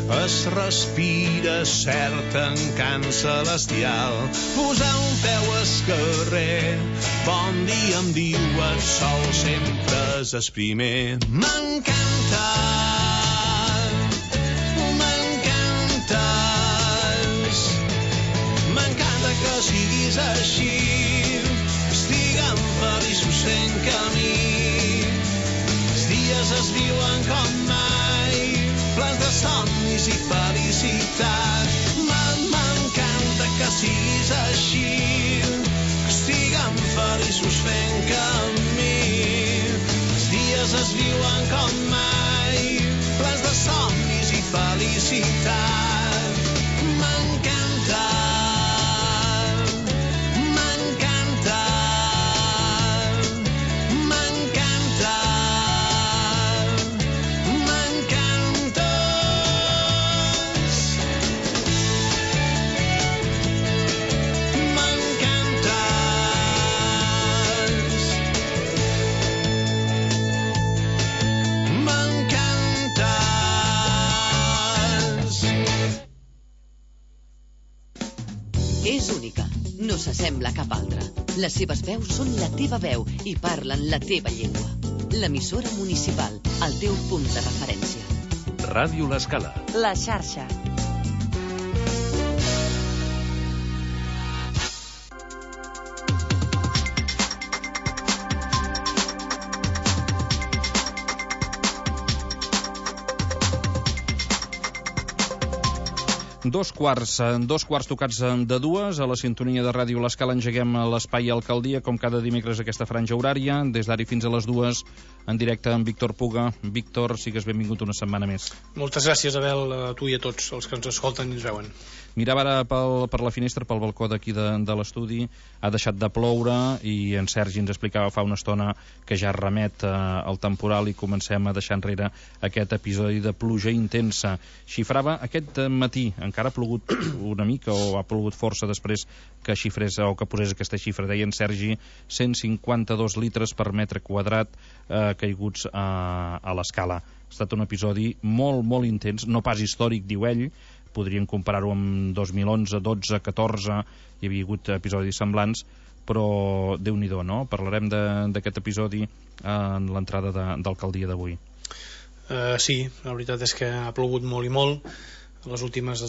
es respira cert encant celestial. Posar un peu al carrer, bon dia em diu el sol, sempre és el primer. M'encanta, m'encantes, m'encanta que siguis així, estiguem feliços fent camí. Els dies es viuen com mai, plans de somnis i felicitat. M'encanta que siguis així, que estiguem feliços fent camí. Els dies es viuen com mai, plans de somnis i felicitat. M'encanta, m'encanta, m'encanta, m'encantes, m'encantes. És única, no s'assembla a cap altra. Les seves veus són la teva veu i parlen la teva llengua. L'emissora municipal, el teu punt de referència. Ràdio L'Escala. La xarxa. Dos quarts tocats de dues, a la sintonia de Ràdio L'Escala engeguem l'espai Alcaldia, com cada dimecres aquesta franja horària, des d'ara fins a les 2, en directe amb Víctor Puga. Víctor, sigues benvingut una setmana més. Moltes gràcies, Abel, a tu i a tots els que ens escolten i ens veuen. Mirava ara per la finestra, pel balcó d'aquí de l'estudi, ha deixat de ploure i en Sergi ens explicava fa una estona que ja remet al temporal i comencem a deixar enrere aquest episodi de pluja intensa. Xifrava aquest matí, encara ha plogut una mica o ha plogut força després que xifrés o que posés aquesta xifra, deia en Sergi, 152 litres per metre quadrat caiguts a l'Escala. Ha estat un episodi molt, molt intens, no pas històric, diu ell. Podríem comparar-ho amb 2011, 12, 14, hi havia hagut episodis semblants, però Déu-n'hi-do, no? Parlarem d'aquest episodi en l'entrada d'alcaldia d'avui. Sí, la veritat és que ha plogut molt i molt. Les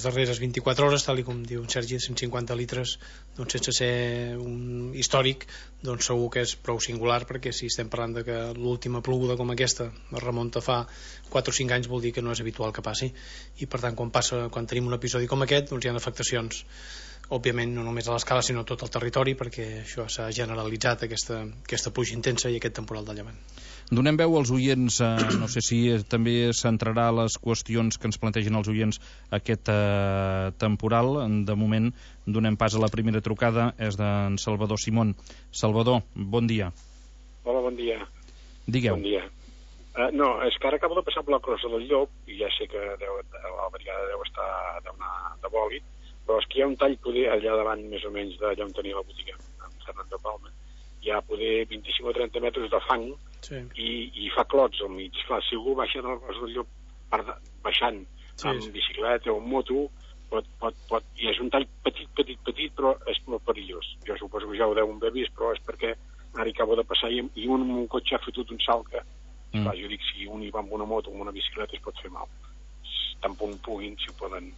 darreres 24 hores, tal com diu en Sergi, 150 litres, doncs sense ser un històric, doncs segur que és prou singular, perquè si estem parlant de que l'última ploguda com aquesta es remunta fa 4 o 5 anys, vol dir que no és habitual que passi, i per tant quan tenim un episodi com aquest, doncs hi ha afectacions, òbviament no només a l'Escala sinó a tot el territori, perquè això s'ha generalitzat, aquesta pluja intensa i aquest temporal de llevant. Donem veu als oients, no sé si també centrarà les qüestions que ens plantegen els oients aquest temporal. De moment donem pas a la primera trucada, és d'en Salvador Simón. Salvador, bon dia. Hola, bon dia. Digueu. Bon dia. No, és que ara acabo de passar per la Crossa del Llop i ja sé que la brigada deu estar de bòlit, però és que hi ha un tall poder allà davant més o menys d'allà on tenia la botiga, a Fernand de Palma. Hi ha poder 25 o 30 metres de fang, sí. I fa clots al mig. Clar, si algú baixa de la Crossa del Llop baixant amb bicicleta o amb moto, i és un tall petit, però és molt perillós. Jo suposo que ja ho deuen haver vist, però és perquè ara hi acabo de passar i un amb un cotxe ha fotut un salt que, clar, jo dic, si un hi va amb una moto o amb una bicicleta es pot fer mal. Tan punt puguin, si poden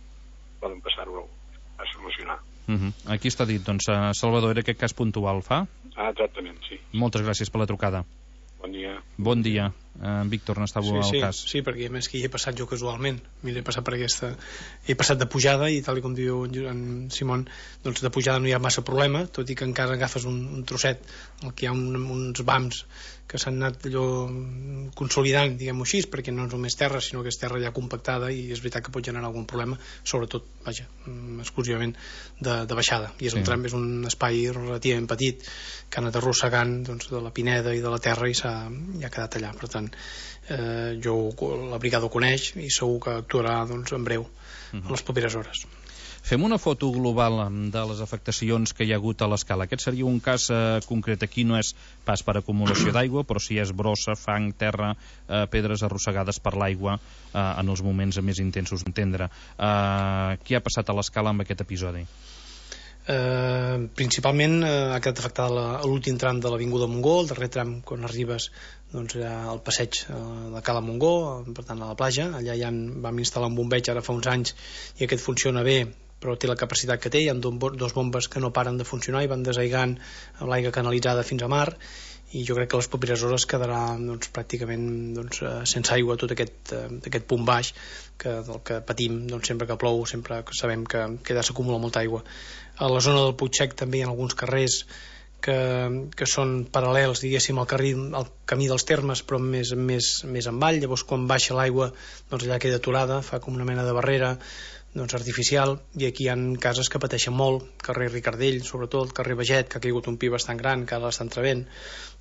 passar-ho a solucionar. Aquí està dit, doncs, Salvador, era aquest cas puntual, fa? Exactament, sí. Moltes gràcies per la trucada. Bon dia. Bon dia. Víctor, n'estava al cas. Sí, perquè a més que hi he passat jo casualment. M'he passat per aquesta... He passat de pujada i tal com diu en Simón, doncs de pujada no hi ha massa problema, tot i que encara agafes un trosset, el que hi ha uns vams que s'han anat allò consolidant, diguem-ho així, perquè no és només terra, sinó que és terra ja compactada i és veritat que pot generar algun problema, sobretot, vaja, exclusivament de baixada. I és un tram, és un espai relativament petit que ha anat arrossegant doncs, de la pineda i de la terra i ha quedat allà. Per tant, la brigada ho coneix i segur que actuarà doncs, en breu, en les properes hores. Fem una foto global de les afectacions que hi ha hagut a l'escala. Aquest seria un cas concret. Aquí no és pas per acumulació d'aigua, però sí és brossa, fang, terra, pedres arrossegades per l'aigua en els moments més intensos d'entendre. Què ha passat a l'escala amb aquest episodi? Principalment ha quedat afectada l'últim tram de l'Avinguda Montgó, el darrer tram quan arribes al passeig de Cala Montgó, per tant a la platja. Allà ja vam instal·lar un bombeig ara fa uns anys i aquest funciona bé, però té la capacitat que té. Hi ha dos bombes que no paren de funcionar i van desaigant amb l'aigua canalitzada fins a mar, i jo crec que les properes hores quedarà pràcticament sense aigua tot aquest punt baix del que patim sempre que plou, sempre que sabem que allà s'acumula molta aigua. A la zona del Puig Sec també hi ha alguns carrers que són paral·lels, diguéssim, al camí dels termes, però més avall. Llavors quan baixa l'aigua allà queda aturada, fa com una mena de barrera artificial, i aquí hi ha cases que pateixen molt, carrer Ricardell sobretot, carrer Baget, que ha caigut un pi bastant gran, que ara l'està entrevent.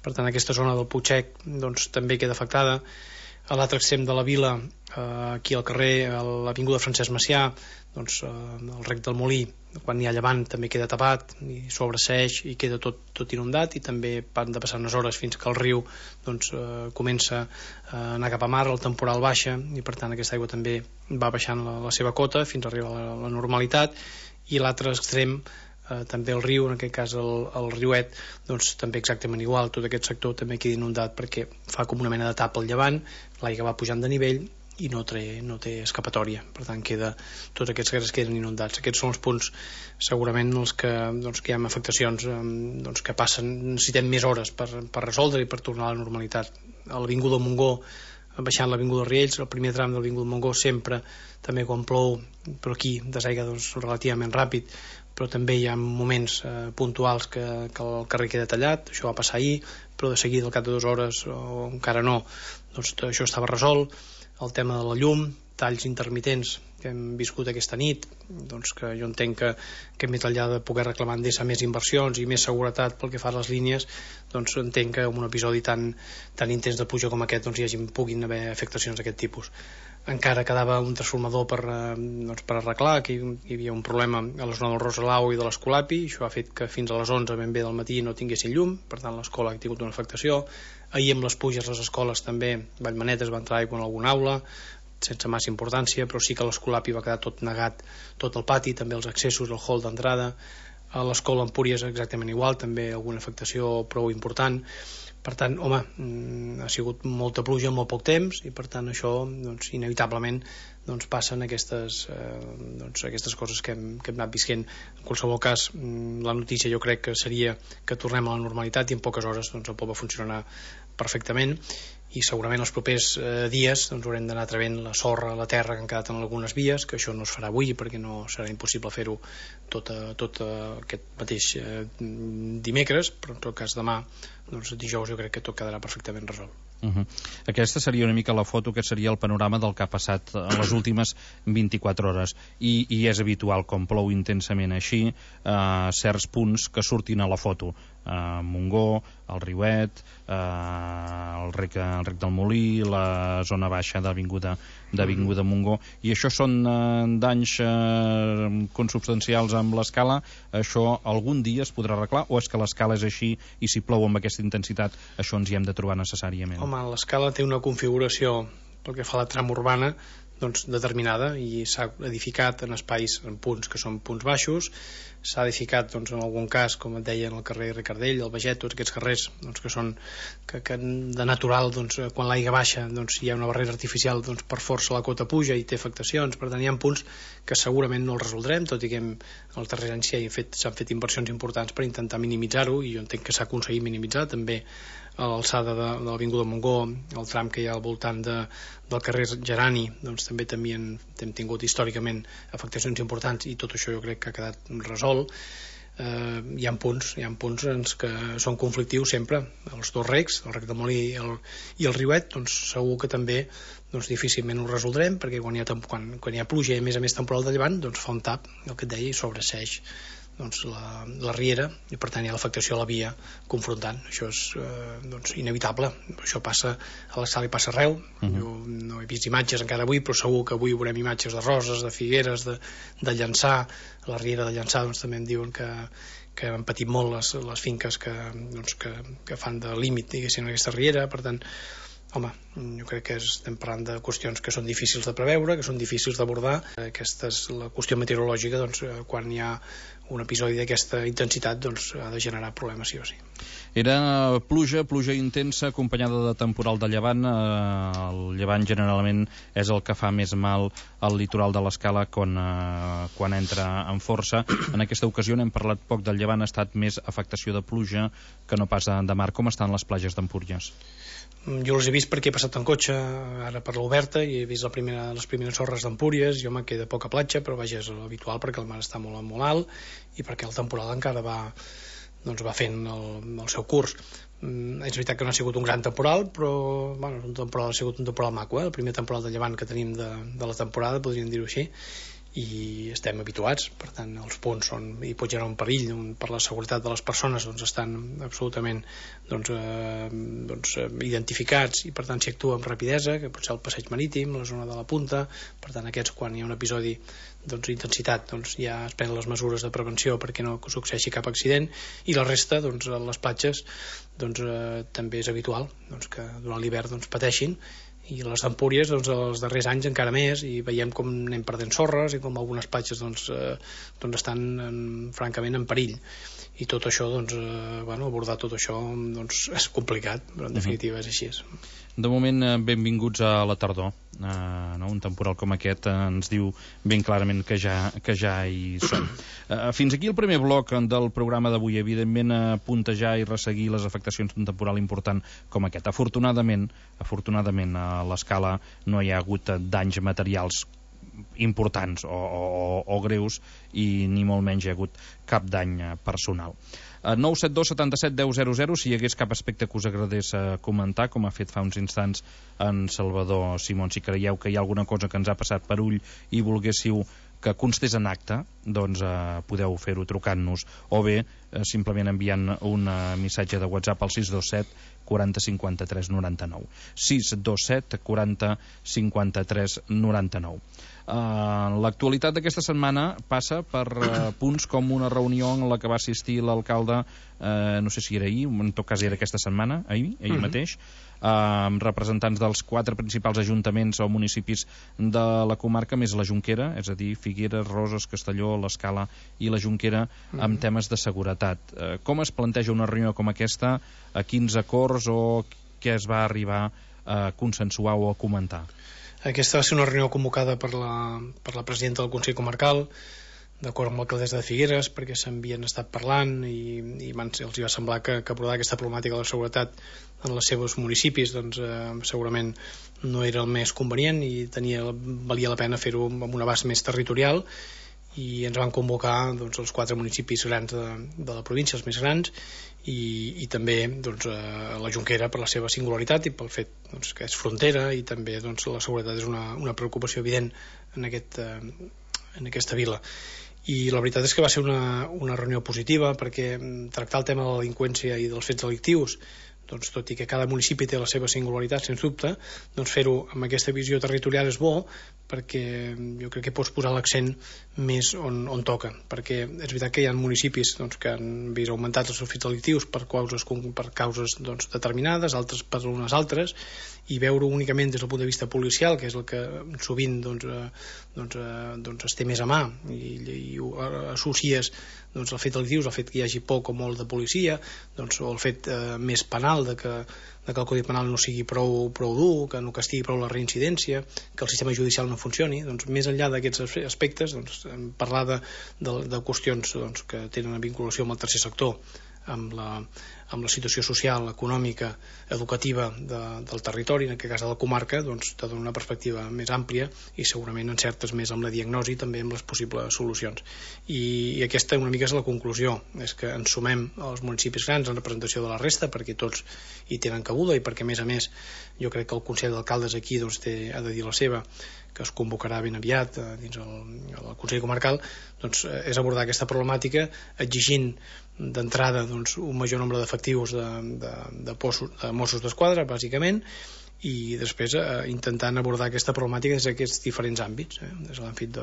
Per tant aquesta zona del Puig Sec també queda afectada. A l'altre extrem de la vila, aquí al carrer, a l'avinguda Francesc Macià, el rec del Molí, quan hi ha llevant també queda tapat i sobreseeix i queda tot inundat, i també han de passar unes hores fins que el riu comença a anar cap a mar, el temporal baixa, i per tant aquesta aigua també va baixant la seva cota fins a arribar a la normalitat. I l'altre extrem, també el riu, en aquest cas el riuet, també exactament igual, tot aquest sector també queda inundat perquè fa com una mena de tapa al llevant, l'aigua va pujant de nivell i no té escapatòria, per tant tots aquests carrers queden inundats. Aquests són els punts segurament els que hi ha afectacions que passen, necessitem més hores per resoldre i per tornar a la normalitat. A l'Avinguda Montgó, baixant l'Avinguda Riells, el primer tram de l'Avinguda Montgó sempre, també quan plou, però aquí desaigua relativament ràpid, però també hi ha moments puntuals que el carrer queda tallat. Això va passar ahir, però de seguida al cap de 2 hores o encara no, això estava resolt. El tema de la llum, talls intermitents que hem viscut aquesta nit, que jo entenc que més enllà de poder reclamar Endesa més inversions i més seguretat pel que fa a les línies, entenc que en un episodi tan intens de pluja com aquest puguin haver afectacions d'aquest tipus. Encara quedava un transformador per arreglar, que hi havia un problema a la zona del Roselau i de l'Escolapi, això ha fet que fins a les 11 ben bé del matí no tinguessin llum, per tant l'escola ha tingut una afectació. Ahir amb les pluges les escoles també, Vallmanetes va entrar aigua en alguna aula, sense massa importància, però sí que l'Escolapi va quedar tot negat, tot el pati, també els accessos, el hall d'entrada. A l'escola Empúries exactament igual, també alguna afectació prou important. Per tant, ha sigut molta pluja en molt poc temps, i per tant això inevitablement passen aquestes coses que hem anat visquent. En qualsevol cas, la notícia jo crec que seria que tornem a la normalitat i en poques hores el poble funcionarà perfectament, i segurament els propers dies haurem d'anar trevent la sorra, la terra que han quedat en algunes vies, que això no es farà avui perquè no serà impossible fer-ho tot aquest mateix dimecres, però en tot cas demà, dijous, jo crec que tot quedarà perfectament resolt. Aquesta seria una mica la foto, que seria el panorama del que ha passat en les últimes 24 hores, i és habitual, com plou intensament així, certs punts que surtin a la foto. Montgó, el Riuet, el rec del Molí, la zona baixa d'Avinguda Montgó, i això són danys consubstancials amb l'escala. Això algun dia es podrà arreglar, o és que l'escala és així i si plou amb aquesta intensitat això ens hi hem de trobar necessàriament? Home, l'escala té una configuració pel que fa a la trama urbana determinada, i s'ha edificat en espais, en punts que són punts baixos, s'ha edificat en algun cas, com et deia, en el carrer Ricardell, el Baget, tots aquests carrers que són que de natural, quan l'aigua baixa hi ha una barrera artificial, per força la cota puja i té afectacions. Per tant, hi ha punts que segurament no els resoldrem, tot i que els darrers anys s'han fet inversions importants per intentar minimitzar-ho, i jo entenc que s'ha aconseguit minimitzar també a l'alçada de l'Avinguda Montgó, el tram que hi ha al voltant del carrer Gerani, també hem tingut històricament afectacions importants, i tot això jo crec que ha quedat resolt. Hi ha punts que són conflictius sempre, els dos recs, el rec del Molí i el Riuet, segur que també difícilment ho resoldrem, perquè quan hi ha pluja i a més temporal de llevant, fa un tap, el que et deia, i sobreseeix la riera, i per tant hi ha l'afectació a la via confrontant. Això és inevitable. Això passa a l'Escala i passa arreu. Jo no he vist imatges encara avui, però segur que avui veurem imatges de Roses, de Figueres, de Llançà. A la riera de Llançà també em diuen que han patit molt les finques que fan de límit, diguéssim, en aquesta riera. Per tant, home, jo crec que estem parlant de qüestions que són difícils de preveure, que són difícils d'abordar. Aquesta és la qüestió meteorològica, quan hi ha un episodi d'aquesta intensitat ha de generar problemes sí o sí. Era pluja intensa acompanyada de temporal de llevant. El llevant generalment és el que fa més mal al litoral de l'Escala quan entra en força. En aquesta ocasió n'hem parlat poc del llevant, ha estat més afectació de pluja que no pas de mar. Com estan les platges d'Empúries? Jo els he vist perquè he passat en cotxe ara per l'Oberta i he vist les primeres sorres d'Empúries. Jo me queda poca platja, però vaja, és habitual perquè el mar està molt alt i perquè el temporal encara va fent el seu curs. És veritat que no ha sigut un gran temporal, però ha sigut un temporal maco, el primer temporal de llevant que tenim de la temporada, podríem dir-ho així, i estem habituats. Per tant, els punts hi pot generar un perill per la seguretat de les persones, estan absolutament identificats, i per tant s'hi actua amb rapidesa, que pot ser el passeig marítim, la zona de la Punta. Per tant, aquests, quan hi ha un episodi d'intensitat, ja es prenen les mesures de prevenció perquè no succeeixi cap accident, i la resta, a les platges, també és habitual que durant l'hivern pateixin, i les d'Empúries els darrers anys encara més, i veiem com anem perdent sorres i com algunes platges estan francament en perill, i tot això abordar tot això és complicat, però en definitiva és així. De moment, benvinguts a la tardor. Un temporal com aquest ens diu ben clarament que ja hi som. Fins aquí el primer bloc del programa d'avui. Evidentment, puntejar i resseguir les afectacions d'un temporal important com aquest. Afortunadament, a l'Escala no hi ha hagut danys materials importants o greus, i ni molt menys hi ha hagut cap dany personal. 972 77 10 00 si hi hagués cap aspecte que us agradés comentar, com ha fet fa uns instants en Salvador Simón. Si creieu que hi ha alguna cosa que ens ha passat per ull i volguéssiu que constés en acte, podeu fer-ho trucant-nos, o bé simplement enviant un missatge de WhatsApp al 627 40 53 99. 627 40 53 99. L'actualitat d'aquesta setmana passa per punts com una reunió en la que va assistir l'alcalde, no sé si era ahir, en tot cas era aquesta setmana, ahir mateix, amb representants dels 4 principals ajuntaments o municipis de la comarca, més la Jonquera, és a dir, Figueres, Roses, Castelló, l'Escala i la Jonquera, amb temes de seguretat. Com es planteja una reunió com aquesta? A quins acords o què es va arribar a consensuar o a comentar? Aquesta va ser una reunió convocada per la presidenta del Consell Comarcal, d'acord amb l'alcaldessa de Figueres, perquè s'havien estat parlant i els va semblar que abordar aquesta problemàtica de la seguretat en els seus municipis segurament no era el més convenient, i valia la pena fer-ho amb un abast més territorial, i ens van convocar els 4 municipis grans de la província, els més grans, i també la Jonquera per la seva singularitat i pel fet que és frontera, i també la seguretat és una preocupació evident en aquesta vila. I la veritat és que va ser una reunió positiva, perquè tractar el tema de la delinqüència i dels fets delictius, tot i que cada municipi té la seva singularitat, sens dubte, fer-ho amb aquesta visió territorial és bo, perquè jo crec que pots posar l'accent més on toca, perquè és veritat que hi ha municipis que han vist augmentats els seus fets delictius per causes determinades, altres per unes altres, i veure únicament des del punt de vista policial, que és el que sovint es té més a mà, i ho associes el fet delictius, el fet que hi hagi poc o molt de policia, o el fet més penal de que el Codi Penal no sigui prou dur, que no castigui prou la reincidència, que el sistema judicial no funcioni. Més enllà d'aquests aspectes, parlar de qüestions que tenen vinculació amb el tercer sector, amb amb la situació social, econòmica, educativa del territori, en aquest cas de la comarca, doncs te dona una perspectiva més àmplia i segurament encertes més amb la diagnosi, també amb les possibles solucions. I aquesta una mica és la conclusió, és que ens sumem als municipis grans en representació de la resta, perquè tots hi tenen cabuda i perquè, a més, jo crec que el Consell d'Alcaldes aquí doncs, ha de dir la seva, que es convocarà ben aviat dins el Consell Comarcal, doncs, és abordar aquesta problemàtica exigint d'entrada doncs, un major nombre d'efectius de Mossos d'Esquadra, bàsicament, i després intentant abordar aquesta problemàtica des d'aquests diferents àmbits, des de l'àmbit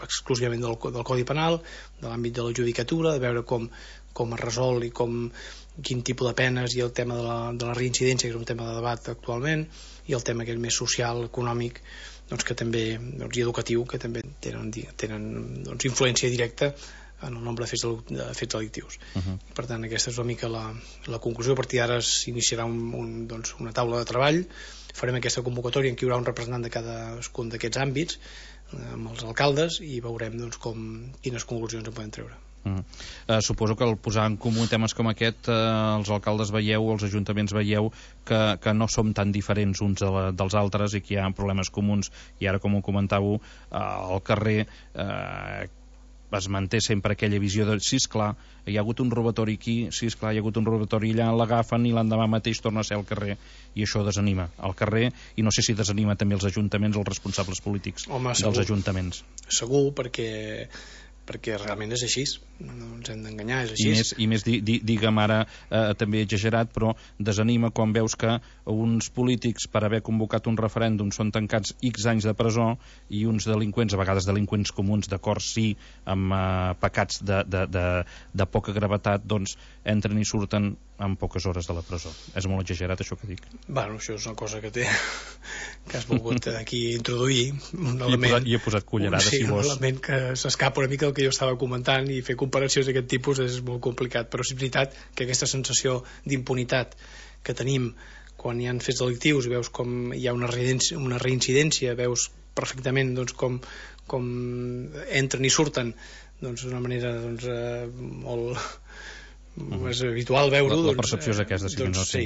exclusivament del Codi Penal, de l'àmbit de la judicatura, de veure com es resol i quin tipus de penes, i el tema de la reincidència, que és un tema de debat actualment, i el tema aquest més social, econòmic, doncs, que també, i educatiu, que també tenen influència directa en el nombre de fets delictius. Per tant, aquesta és una mica la conclusió. A partir d'ara s'iniciarà una taula de treball, farem aquesta convocatòria en què hi haurà un representant de cadascun d'aquests àmbits amb els alcaldes i veurem quines conclusions en podem treure. Suposo que al posar en comú temes com aquest, els alcaldes veieu, els ajuntaments veieu que no som tan diferents uns dels altres i que hi ha problemes comuns, i ara, com ho comentàveu, al carrer es manté sempre aquella visió de sí, esclar, hi ha hagut un robatori aquí, sí, esclar, hi ha hagut un robatori allà, l'agafen i l'endemà mateix torna a ser al carrer, i això desanima al carrer, i no sé si desanima també els ajuntaments, els responsables polítics dels ajuntaments. Segur, perquè realment és així, no ens hem d'enganyar, és així. I més digue'm ara, també exagerat, però desanima quan veus que uns polítics, per haver convocat un referèndum, són tancats X anys de presó, i uns delinqüents, a vegades delinqüents comuns, d'acord, sí, amb pecats de poca gravetat, doncs entren i surten en poques hores de la presó. És molt exagerat això que dic. Bueno, això és una cosa que has volgut aquí introduir, un element... I he posat cullerada, si vols. Un element que s'escapa una mica del que jo estava comentant, i fer comparacions d'aquest tipus és molt complicat, però és veritat que aquesta sensació d'impunitat que tenim quan hi ha fets delictius, veus com hi ha una reincidència, veus perfectament doncs, com entren i surten d'una manera molt... és habitual veure-ho. La percepció és aquesta, sí,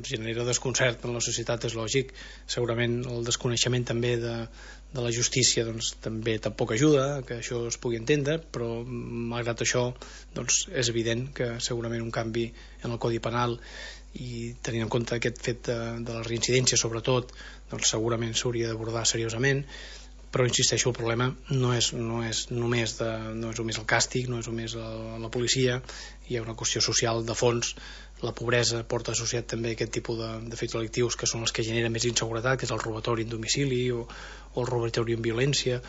genera desconcert en la societat, és lògic. Segurament el desconeixement també de la justícia també tampoc ajuda que això es pugui entendre, però malgrat això és evident que segurament un canvi en el Codi Penal, i tenint en compte aquest fet de la reincidència sobretot, segurament s'hauria d'abordar seriosament. Però insisteixo, el problema no és només el càstig, no és només la policia, hi ha una qüestió social de fons. La pobresa porta associat també aquest tipus de fets delictius, que són els que generen més inseguretat, que és el robatori en domicili o el robatori en violència.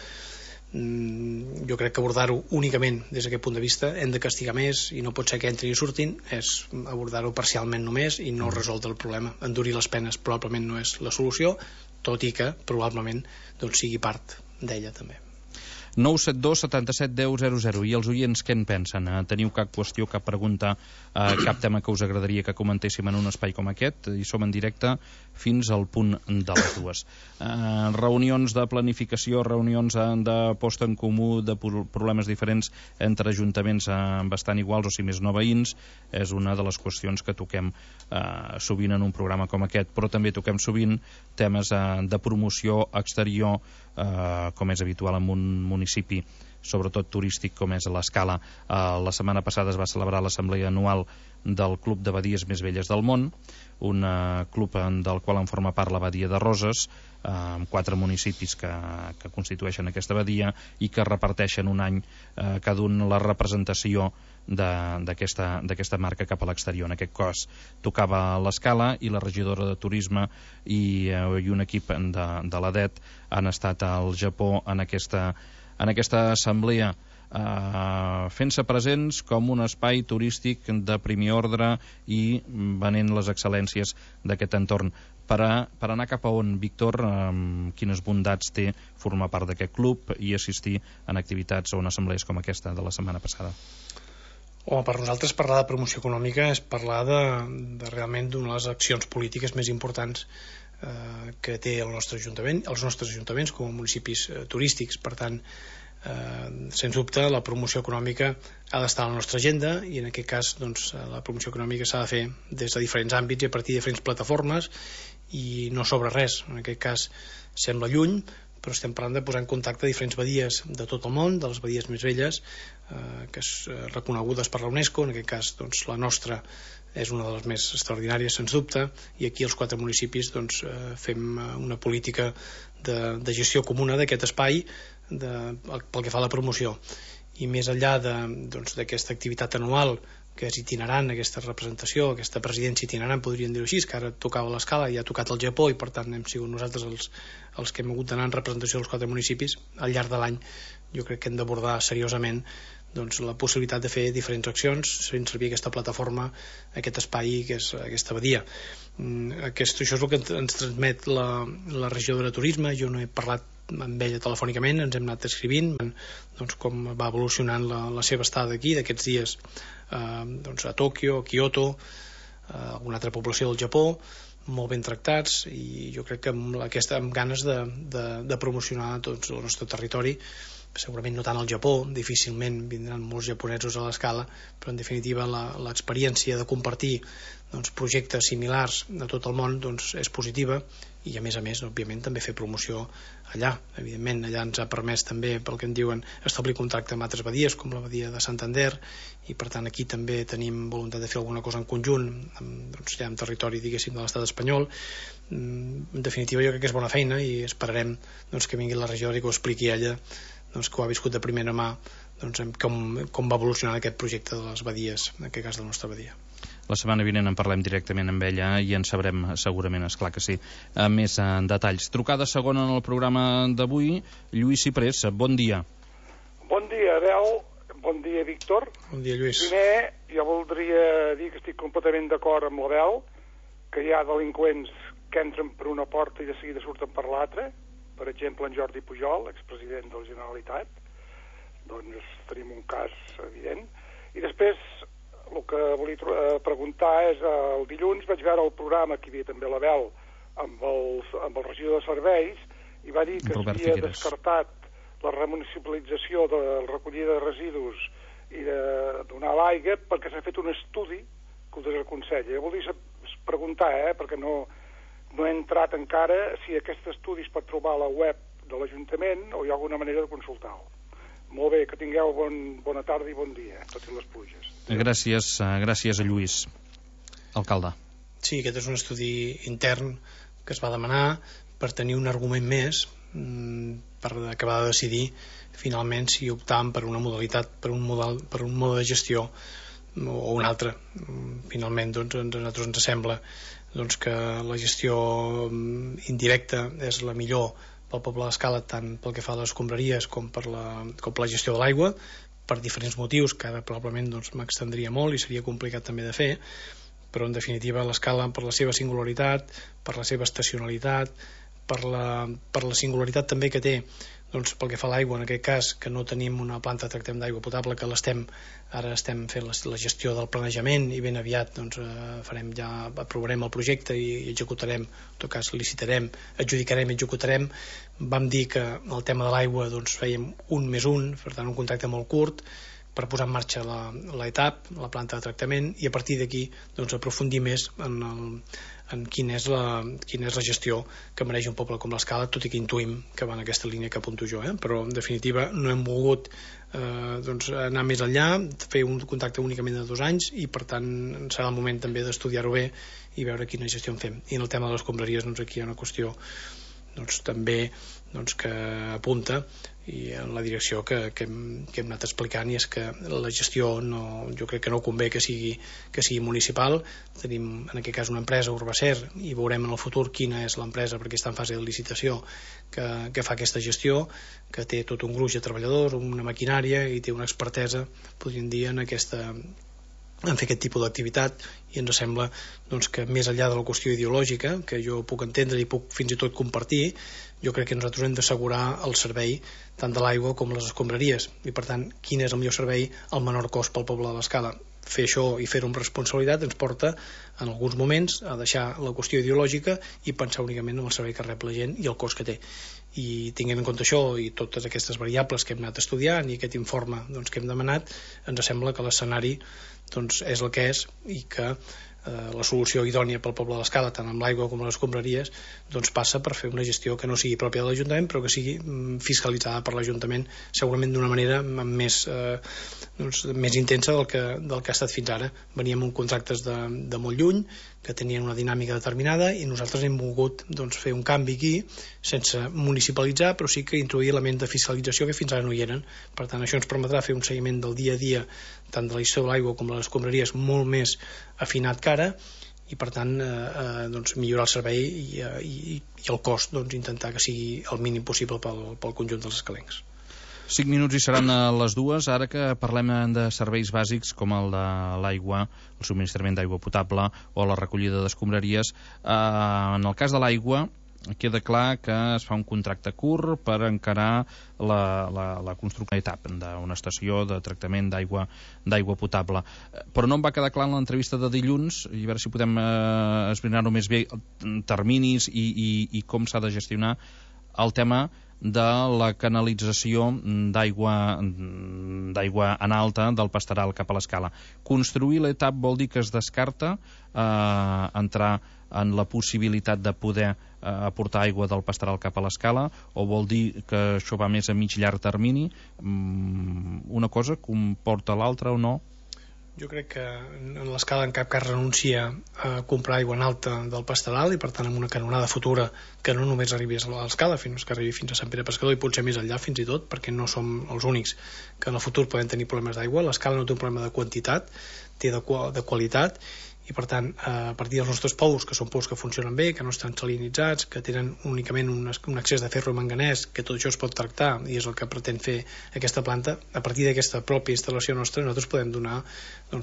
Jo crec que abordar-ho únicament des d'aquest punt de vista, hem de castigar més, i no pot ser que entrin i surtin, és abordar-ho parcialment només i no resoldre el problema. Endurir les penes probablement no és la solució, tot i que probablement sigui part d'ella també. 972 77 10 00. I els oients què en pensen? Teniu cap qüestió, cap pregunta, cap tema que us agradaria que comentéssim en un espai com aquest? I som en directe fins al punt de les 2. Reunions de planificació, reunions de posta en comú de problemes diferents entre ajuntaments bastant iguals, o si més no veïns, és una de les qüestions que toquem sovint en un programa com aquest, però també toquem sovint temes de promoció exterior, com és habitual en un municipi sobretot turístic com és l'Escala. La setmana passada es va celebrar l'assemblea anual del Club de Badies Més Velles del Món, un club del qual en forma part la Badia de Roses, amb 4 municipis que constitueixen aquesta badia i que reparteixen un any cada un la representació d'aquesta marca cap a l'exterior. En aquest cas tocava l'Escala, i la regidora de Turisme i un equip de l'ADET han estat al Japó en aquesta assemblea, fent-se presents com un espai turístic de primer ordre i venent les excel·lències d'aquest entorn. Per anar cap a on, Víctor, quines bondats té formar part d'aquest club i assistir en activitats o en assemblees com aquesta de la setmana passada? Per nosaltres parlar de promoció econòmica és parlar de realment d'una de les accions polítiques més importants que té el nostre ajuntament, els nostres ajuntaments com a municipis turístics. Per tant, sens dubte la promoció econòmica ha d'estar a la nostra agenda, i en aquest cas doncs, la promoció econòmica s'ha de fer des de diferents àmbits i a partir de diferents plataformes, i no sobre res. En aquest cas sembla lluny, però estem parlant de posar en contacte diferents badies de tot el món, de les badies més velles, que són reconegudes per la UNESCO. En aquest cas doncs, la nostra és una de les més extraordinàries, sens dubte, i aquí els 4 municipis doncs, fem una política de gestió comuna d'aquest espai pel que fa a la promoció. I més enllà d'aquesta activitat anual, que és itinerant, aquesta representació, aquesta presidència itinerant, podríem dir-ho així, que ara tocava l'Escala i ha tocat el Japó, i per tant hem sigut nosaltres els que hem hagut d'anar en representació dels 4 municipis. Al llarg de l'any jo crec que hem d'abordar seriosament doncs, la possibilitat de fer diferents accions fent servir aquesta plataforma, aquest espai, que és aquesta badia. Això és el que ens transmet la regidora de turisme. Jo no he parlat amb ella telefònicament, ens hem anat escrivint doncs, com va evolucionant la seva estada aquí d'aquests dies doncs, a Tòquio, a Kyoto, alguna altra població del Japó, molt ben tractats, i jo crec que amb ganes de promocionar tot el nostre territori. Segurament no tant al Japó, difícilment vindran molts japonesos a l'Escala, però en definitiva l'experiència de compartir doncs, projectes similars a tot el món doncs, és positiva, i a més, òbviament, també fer promoció allà. Evidentment, allà ens ha permès també, pel que en diuen, establir contacte amb altres badies, com la badia de Santander, i per tant aquí també tenim voluntat de fer alguna cosa en conjunt doncs, ja en territori, diguéssim, de l'estat espanyol. En definitiva, jo crec que és bona feina, i esperarem doncs, que vingui la regidora i que ho expliqui ella, doncs, que ho ha viscut de primera mà, doncs, com va evolucionar aquest projecte de les badies, en aquest cas de la nostra badia. La setmana vinent en parlem directament amb ella i en sabrem segurament, esclar que sí, més en detalls. Trucada segona en el programa d'avui, Lluís Ciprés, bon dia. Bon dia, Abel. Bon dia, Víctor. Bon dia, Lluís. Primer, jo voldria dir que estic completament d'acord amb l'Abel, que hi ha delinqüents que entren per una porta i de seguida surten per l'altra. Per exemple, en Jordi Pujol, expresident de la Generalitat. Doncs tenim un cas evident. I després, el que volia preguntar és, el dilluns vaig veure el programa, que hi havia també l'Abel, amb el regidor de serveis, i va dir que s'havia descartat la remunicipalització de la recollida de residus i de donar l'aigua perquè s'ha fet un estudi que ho desaconsella. Jo volia preguntar, perquè no he entrat encara, si aquest estudi es pot trobar a la web de l'Ajuntament o hi ha alguna manera de consultar-ho. Molt bé, que tingueu bona tarda i bon dia, tot i les pluges. Gràcies a Lluís. Alcalde. Sí, aquest és un estudi intern que es va demanar per tenir un argument més per acabar de decidir finalment si optàvem per una modalitat, per un mode de gestió o un altre. Finalment, doncs, a nosaltres ens sembla que la gestió indirecta és la millor pel poble d'Escala, tant pel que fa a les escombraries com per la gestió de l'aigua, per diferents motius que ara probablement m'extendria molt i seria complicat també de fer, però en definitiva l'Escala, per la seva singularitat, per la seva estacionalitat, per la singularitat també que té pel que fa a l'aigua, en aquest cas que no tenim una planta de tractament d'aigua potable, que ara estem fent la gestió del planejament i ben aviat aprovarem el projecte i executarem, en tot cas licitarem, adjudicarem i executarem. Vam dir que el tema de l'aigua fèiem 1+1, per tant un contracte molt curt per posar en marxa l'ETAP, la planta de tractament, i a partir d'aquí aprofundir més en quina és la gestió que mereix un poble com l'Escala, tot i que intuïm que va en aquesta línia que apunto jo, però en definitiva no hem volgut anar més enllà, fer un contracte únicament de 2 anys, i per tant serà el moment també d'estudiar-ho bé i veure quina gestió en fem. I en el tema de les escombraries aquí hi ha una qüestió també que apunta i en la direcció que hem anat explicant, i és que la gestió jo crec que no convé que sigui municipal. Tenim en aquest cas una empresa, Urbacer, i veurem en el futur quina és l'empresa, perquè està en fase de licitació, que fa aquesta gestió, que té tot un gruix de treballadors, una maquinària i té una expertesa, podríem dir, en fer aquest tipus d'activitat, i ens sembla que més enllà de la qüestió ideològica, que jo puc entendre i puc fins i tot compartir, jo crec que nosaltres hem d'assegurar el servei tant de l'aigua com les escombraries, i per tant quin és el millor servei al menor cost pel poble de l'Escala. Fer això i fer-ho amb responsabilitat ens porta en alguns moments a deixar la qüestió ideològica i pensar únicament en el servei que rep la gent i el cost que té, i tinguent en compte això i totes aquestes variables que hem anat estudiant i aquest informe que hem demanat, ens sembla que l'escenari és el que és i que la solució idònia pel poble de l'Escala, tant amb l'aigua com les escombraries, passa per fer una gestió que no sigui pròpia de l'Ajuntament, però que sigui fiscalitzada per l'Ajuntament, segurament d'una manera més intensa del que ha estat fins ara. Veníem amb contractes de molt lluny, que tenien una dinàmica determinada, i nosaltres hem volgut fer un canvi aquí, sense municipalitzar, però sí que introduir elements de fiscalització que fins ara no hi eren. Per tant, això ens permetrà fer un seguiment del dia a dia, tant de la gestió de l'aigua com de les escombraries, molt més afinat que ara, i per tant millorar el servei i el cost, intentar que sigui el mínim possible pel conjunt dels escalencs. 5 minuts i seran a les 2. Ara que parlem de serveis bàsics com el de l'aigua, el subministrament d'aigua potable o la recollida d'escombraries, en el cas de l'aigua queda clar que es fa un contracte curt per encarar la construcció d'etapa d'una estació de tractament d'aigua potable. Però no em va quedar clar en l'entrevista de dilluns, i a veure si podem esbrinar-ho més bé, terminis i com s'ha de gestionar el tema de la canalització d'aigua en alta del Pastaral cap a l'Escala. Construir l'etap vol dir que es descarta entrar en la possibilitat de poder aportar aigua del Pastaral cap a l'Escala, o vol dir que això va més a mig llarg termini? Una cosa comporta l'altra o no? Jo crec que en l'Escala en cap cas renuncia a comprar aigua en alta del Pastaral, i per tant amb una canonada futura que no només arribi a l'Escala, fins que arribi fins a Sant Pere Pescador i potser més enllà fins i tot, perquè no som els únics que en el futur poden tenir problemes d'aigua. L'Escala no té un problema de quantitat, té de qualitat, i per tant a partir dels nostres pous, que són pous que funcionen bé, que no estan salinitzats, que tenen únicament un excés de ferro i manganès, que tot això es pot tractar i és el que pretén fer aquesta planta, a partir d'aquesta pròpia instal·lació nostra nosaltres podem donar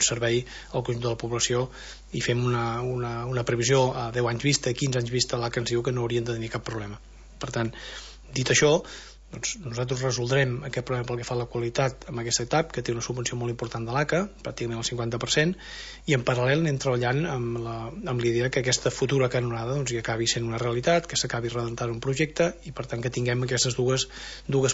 servei al conjunt de la població, i fem una previsió a 10 anys vista, 15 anys vista, a l'ACA ens diu que no haurien de tenir cap problema. Per tant, dit això, nosaltres resoldrem aquest problema pel que fa a la qualitat amb aquesta etapa, que té una subvenció molt important de l'ACA, pràcticament el 50%, i en paral·lel anem treballant amb l'idea que aquesta futura canonada hi acabi sent una realitat, que s'acabi redentant un projecte, i per tant que tinguem aquestes dues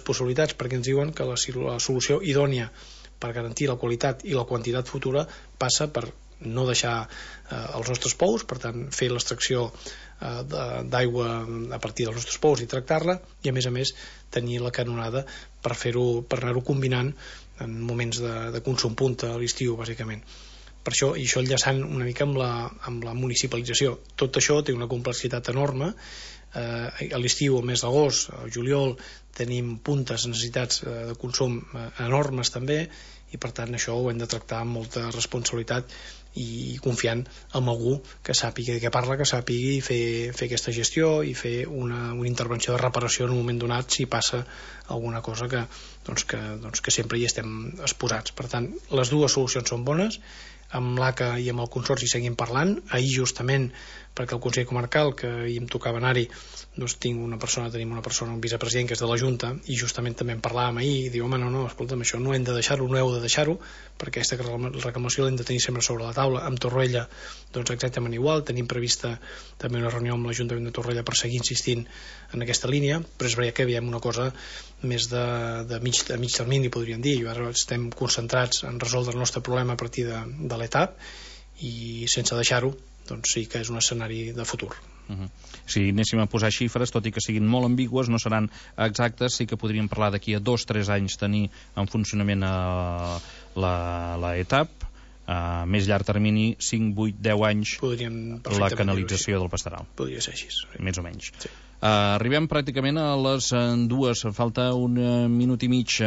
possibilitats, perquè ens diuen que la solució idònia per garantir la qualitat i la quantitat futura passa per no deixar els nostres pous, per tant fer l'extracció d'aigua a partir dels nostres pous i tractar-la, i a més tenir la canonada per anar-ho combinant en moments de consum punta a l'estiu, bàsicament. Per això, i això enllaçant una mica amb la municipalització, tot això té una complexitat enorme. A l'estiu, al mes d'agost, al juliol, tenim puntes, necessitats de consum enormes també, i per tant això ho hem de tractar amb molta responsabilitat i confiant en algú que sàpiga de què parla, que sàpigui fer aquesta gestió i fer una intervenció de reparació en un moment donat si passa alguna cosa que sempre hi estem exposats. Per tant, les dues solucions són bones. Amb l'ACA i amb el Consorci seguim parlant. Ahir justament, perquè el Consell Comarcal, que ahir em tocava anar-hi, tenim una persona, un vicepresident que és de la Junta, i justament també en parlàvem ahir, i diu, home, no, escolta'm, això no hem de deixar-ho, no heu de deixar-ho, perquè aquesta reclamació l'hem de tenir sempre sobre la taula. Amb Torroella, exactament igual, tenim prevista també una reunió amb l'Ajuntament de Torroella per seguir insistint en aquesta línia, però és veritat que veiem una cosa més de mig termini, podríem dir. Ara estem concentrats en resoldre el nostre problema a partir de l'etapa, i sense deixar-ho, sí que és un escenari de futur. Si anéssim a posar xifres, tot i que siguin molt ambigües, no seran exactes, sí que podríem parlar d'aquí a 2-3 anys tenir en funcionament l'etapa, a més llarg termini, 5, 8, 10 anys la canalització del Pastaral. Podria ser així. Més o menys. Sí. Arribem pràcticament a les 2, falta un minut i mig,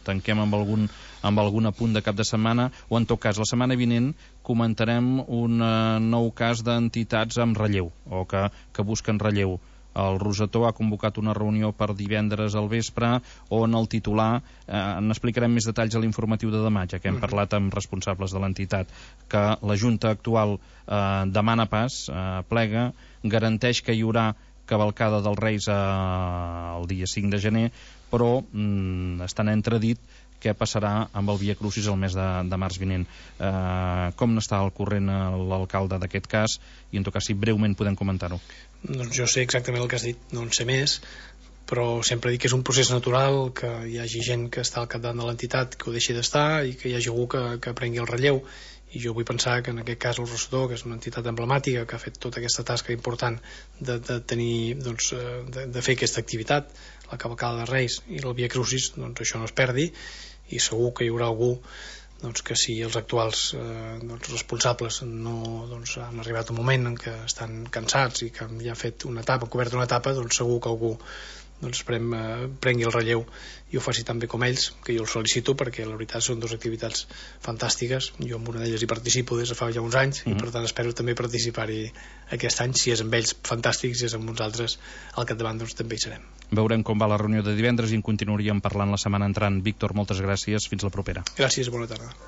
tanquem amb algun apunt de cap de setmana, o en tot cas la setmana vinent comentarem un nou cas d'entitats amb relleu, o que busquen relleu. El Rosetó ha convocat una reunió per divendres al vespre, on el titular, n'explicarem més detalls a l'informatiu de demà, ja que hem parlat amb responsables de l'entitat, que la Junta actual demana pas, plega, garanteix que hi haurà cavalcada dels Reis el dia 5 de gener, però està en entredit què passarà amb el Via Crucis el mes de març vinent. Com n'està al corrent l'alcalde d'aquest cas, i en tot cas si breument podem comentar-ho? Doncs jo sé exactament el que has dit, no en sé més, però sempre dic que és un procés natural, que hi hagi gent que està al capdavant de l'entitat que ho deixi d'estar i que hi hagi algú que prengui el relleu, i jo vull pensar que en aquest cas el Rosselló, que és una entitat emblemàtica que ha fet tota aquesta tasca important de tenir, doncs, de fer aquesta activitat, la cavalcada de Reis i el Via Crucis, doncs això no es perdi, i segur que hi haurà algú, doncs, que si els actuals responsables no, doncs, han arribat un moment en què estan cansats i que ja han fet una etapa, han cobert una etapa, doncs segur que algú, doncs, prengui el relleu i ho faci tan bé com ells, que jo els felicito, perquè la veritat són dues activitats fantàstiques. Jo en una d'elles hi participo des de fa ja uns anys, i per tant espero també participar-hi aquest any. Si és amb ells, fantàstic; si és amb uns altres al capdavant, doncs també hi serem. Veurem com va la reunió de divendres i en continuaríem parlant la setmana entrant. Víctor, moltes gràcies, fins la propera. Gràcies, bona tarda.